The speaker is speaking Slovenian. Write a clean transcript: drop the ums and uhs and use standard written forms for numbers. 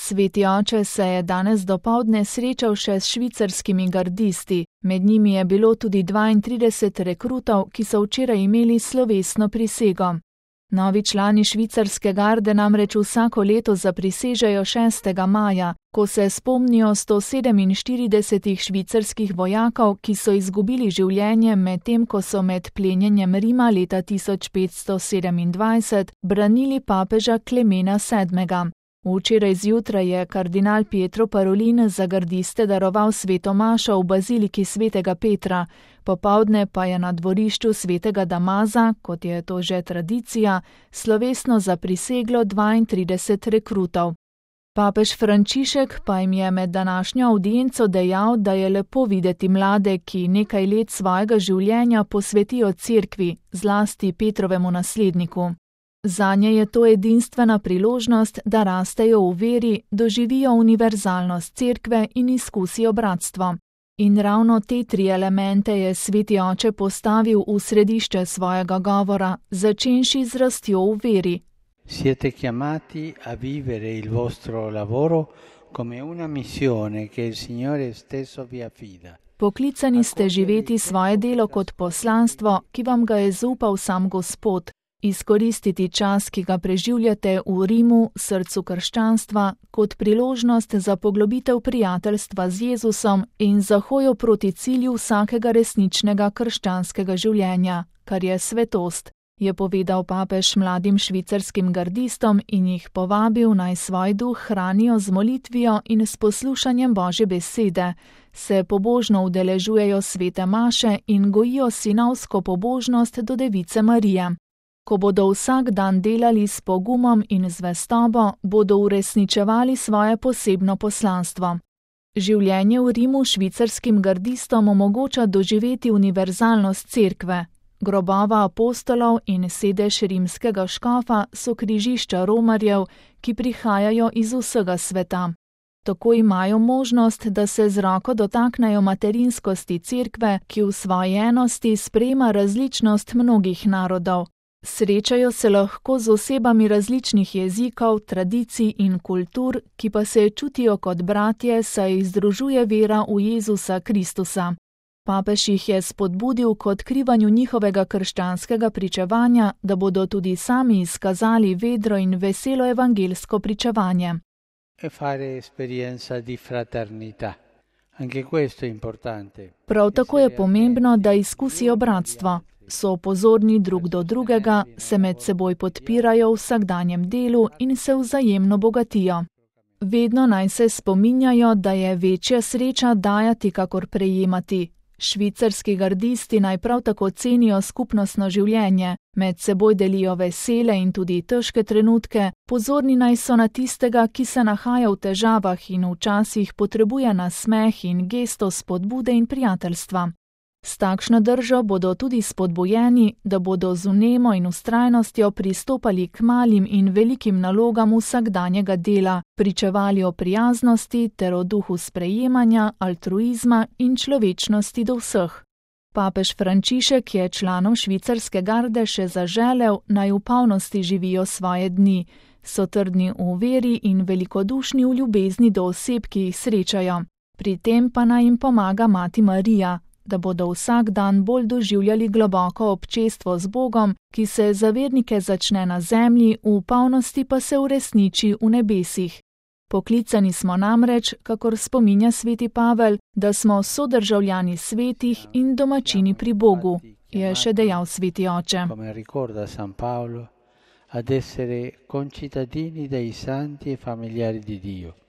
Sveti oče se je danes dopoldne srečal še s švicarskimi gardisti, med njimi je bilo tudi 32 rekrutov, ki so včeraj imeli slovesno prisego. Novi člani švicarske garde namreč vsako leto zaprisežejo 6. maja, ko se spomnijo 147 švicarskih vojakov, ki so izgubili življenje medtem, ko so med plenjenjem Rima leta 1527 branili papeža Klemena VII. Včeraj zjutraj je kardinal Pietro Parolin za gardiste daroval sveto mašo v baziliki svetega Petra, popoldne pa je na dvorišču svetega Damaza, kot je to že tradicija, slovesno zapriseglo 32 rekrutov. Papež Frančišek pa jim je med današnjo avdienco dejal, da je lepo videti mlade, ki nekaj let svojega življenja posvetijo cerkvi, zlasti Petrovemu nasledniku. Zanje je to edinstvena priložnost, da rastejo v veri, doživijo univerzalnost cerkve in izkusijo bratstvo. In ravno te 3 elemente je sveti oče postavil v središče svojega govora, začenši z rastjo v veri. Siete chiamati a vivere il vostro lavoro come una missione che il Signore stesso vi affida. Poklicani ste živeti svoje delo kot poslanstvo, ki vam ga je zaupal sam Gospod. Izkoristiti čas, ki ga preživljate v Rimu, srcu krščanstva, kot priložnost za poglobitev prijateljstva z Jezusom in za hojo proti cilju vsakega resničnega krščanskega življenja, kar je svetost, je povedal papež mladim švicarskim gardistom in jih povabil, naj svoj duh hranijo z molitvijo in s poslušanjem Božje besede, se pobožno udeležujejo svete maše in gojijo sinovsko pobožnost do Device Marije. Ko bodo vsak dan delali s pogumom in zvestobo, bodo uresničevali svoje posebno poslanstvo. Življenje v Rimu švicarskim gardistom omogoča doživeti univerzalnost cerkve. Grobova apostolov in sedež rimskega škofa so križišča romarjev, ki prihajajo iz vsega sveta. Tako imajo možnost, da se z roko dotaknejo materinskosti cerkve, ki v svoji enosti sprejema različnost mnogih narodov. Srečajo se lahko z osebami različnih jezikov, tradicij in kultur, ki pa se čutijo kot bratje, saj jih združuje vera v Jezusa Kristusa. Papež jih je spodbudil k odkrivanju njihovega krščanskega pričevanja, da bodo tudi sami izkazali vedro in veselo evangelsko pričevanje. Prav tako je pomembno, da izkusijo bratstvo. So pozorni drug do drugega, se med seboj podpirajo v vsakdanjem delu in se vzajemno bogatijo. Vedno naj se spominjajo, da je večja sreča dajati, kakor prejemati. Švicarski gardisti naj prav tako cenijo skupnostno življenje, med seboj delijo vesele in tudi težke trenutke, pozorni naj so na tistega, ki se nahaja v težavah in včasih potrebuje nasmeh in gesto spodbude in prijateljstva. S takšno držo bodo tudi spodbujeni, da bodo z vnemo in vztrajnostjo pristopali k malim in velikim nalogam vsakdanjega dela, pričevali o prijaznosti ter o duhu sprejemanja, altruizma in človečnosti do vseh. Papež Frančišek je članom švicarske garde še zaželel, naj v polnosti živijo svoje dni, so trdni v veri in velikodušni v ljubezni do oseb, ki jih srečajo. Pri tem pa naj jim pomaga Mati Marija, da bodo vsak dan bolj doživljali globoko občestvo z Bogom, ki se za vernike začne na zemlji, v polnosti pa se uresniči v nebesih. Poklicani smo namreč, kakor spominja sveti Pavel, da smo sodržavljani svetih in domačini pri Bogu, je še dejal sveti oče. Ad essere concittadini dei santi e familiari di Dio.